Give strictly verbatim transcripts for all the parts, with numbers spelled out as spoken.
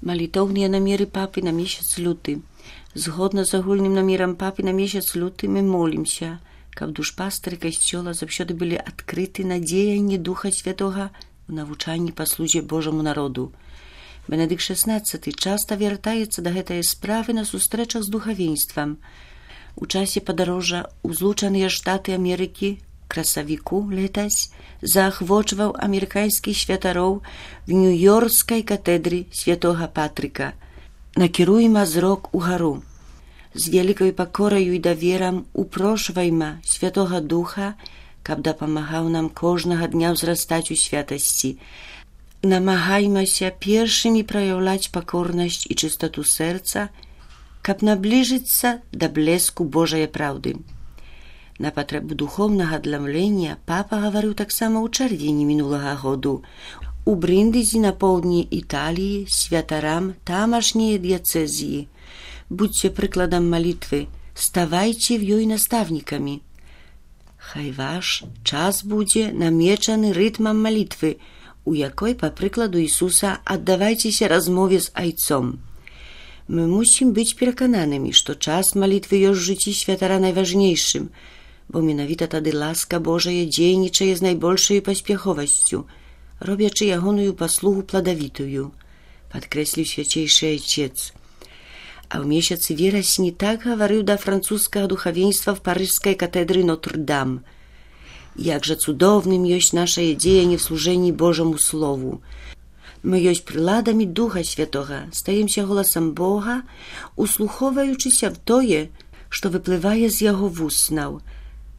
Малітоўныя намеры папы на месяц люты. Згодна з агульным намерам папы на месяц люты мы молімся, каб душпастары касцёла заўсёды былі адкрыты на дзеянні Духа Святога в навучанні па службе Божаму народу. Бенедыкт шестнадцаты часта вяртаецца да гэтай справы на сустрэчах з духавенствам. У часе падарожжа ў Злучаныя Штаты Амерыкі красавіку летась заахвочваў амерыканскіх святароў в Нью-Йоркскай катэдры святога Патрыка. Накіруйма зрок угару. З вялікай пакораю і даверам упрошвайма Святога Духа, каб дапамагаў нам кожнага дня ўзрастаць у святасці. Намагаймася першымі праяўляць пакорнасць і чыстоту сэрца, каб набліжыцца да блеску Божае праўды. На патрэбу духоўнага адламлення папа гаварыў таксама ў чэрвені мінулага году у Бріндызі на поўдні Італіі святарам тамашняй дыяцэзіі. Будьце прыкладам малітвы, ставайце в ёй настаўнікамі. Хай ваш час будзе намечаны рытмам малітвы, у якой, па прыкладу Ісуса, аддавайцеся размове з Айцом. Мы мусім быць перакананымі, што час малітвы ёсць у жыцці святара найважнейшым, бо менавіта тады ласка Божая дзейнічае з найбольшай паспяховасцю, робячы ягоную паслугу пладавітую, падкрэсліў свяцейшы айцец. А ў месяцы верасні так гаварыў да французскага духавенства в парыжскай катэдры Нотр-Дам. Як жа цудоўным ёсць нашае дзеянне в служэнні Божаму Слову. Мы ёсць прыладамі Духа Святога, стаемся голасам Бога, услухоўваючыся в тое, што выплывае з яго вуснаў.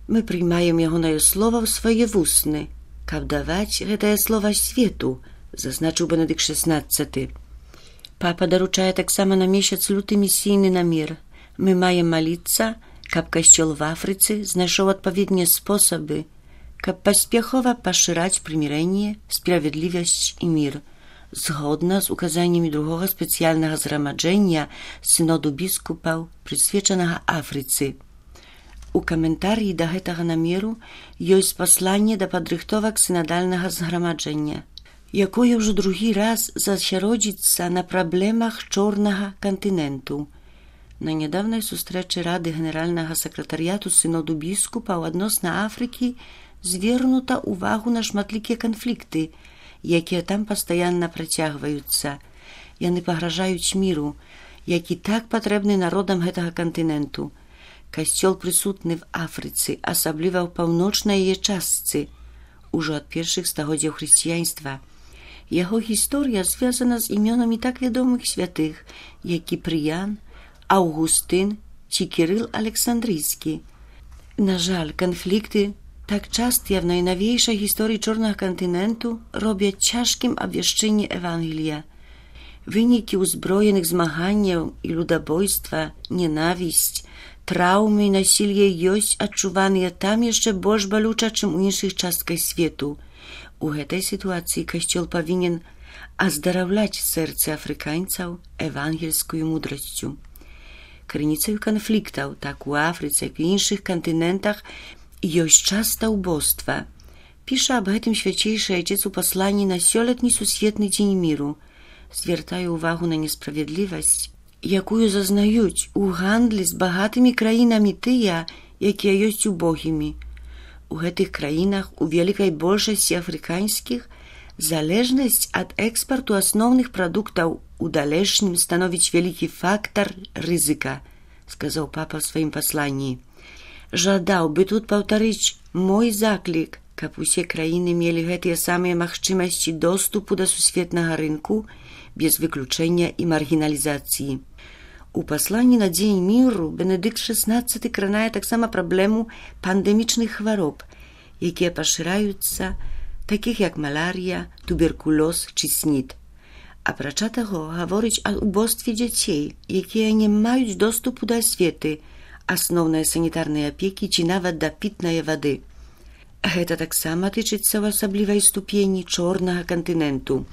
Мы прыймаем ягонае слова ў свае вусны, каб даваць гэтае слова свету, зазначыў Бенедыкт шестнадцаты. Папа даручае таксама на месяц люты місійны намер. Мы маем маліцца, каб касцёл в Афрыцы знайшоў адпаведныя спосабы, каб паспяхова пашыраць прымірэнне, справядлівасць і мір, згодна з указаннямі другога спецыяльнага зграмаджэння сыноду біскупаў, прысвечанага Афрыцы. У каментарыі да гэтага намеру ёсць пасланне да падрыхтовак сінадальнага зграмаджэння, якое ўжо другі раз засяродзіцца на праблемах чорнага кантыненту. На нядаўнай сустрэчы рады генеральнага сакратарыяту сыноду біскупаў адносна Афрыкі звернута ўвагу на шматлікія канфлікты, якія там пастаянна працягваюцца. Яны пагражаюць міру, які так патрэбны народам гэтага кантыненту. Касцёл прысутны в Афрыцы, асабліва ў паўночнай яе частцы, ужо ад першых стагоддзяў хрысціянства. Яго гісторыя звязана з імёнамі так вядомых святых, як Кіпрыян, Аўгустын ці Кірыл Александрыйскі. На жаль, канфлікты, так частыя в найнавейшай гісторыі чорнага кантыненту, робяць цяжкім абвяшчэнне Евангелія. Вынікі ўзброеных змаганняў і людабойства, ненавісць, траўмы і насілле ёсць адчуваныя там яшчэ больш балюча, чым у іншых частках свету. У гэтай сітуацыі касцёл павінен аздараўляць сэрцы афрыканцаў евангельскую мудрасцю. Крыніцаю канфліктаў, так у Афрыцы, як і іншых кантынентах, ёсць часта ўбоства. Піша аб гэтым свяцейшы айцец у пасланні на сёлетні сусветны дзень міру. Звяртае ўвагу на несправядлівасць, якую зазнаюць у гандлі з багатымі краінамі тыя, якія ёсць убогімі. У гэтых краінах, у вялікай большасці афрыканскіх, залежнасць ад экспарту асноўных прадуктаў у далейшым становіць вялікі фактар рызыка, сказаў папа ў сваім пасланні. Жадаў бы тут паўтарыць мой заклік, каб усе краіны мелі гэтыя самыя магчымасці доступу да сусветнага рынку без выключэння і маргіналізацыі. У пасланні на дзень міру Бенедыкт шестнадцаты кранае таксама праблему пандэмічных хвароб, якія пашыраюцца, такіх як маларія, туберкулёз ці снід. Апрача таго, гаворыць аб убостве дзяцей, якія не маюць доступу да асветы, асноўнай санітарнай апекі ці нават да пітнай вады. Гэта таксама тычыцца ў асаблівай ступені чорнага кантыненту.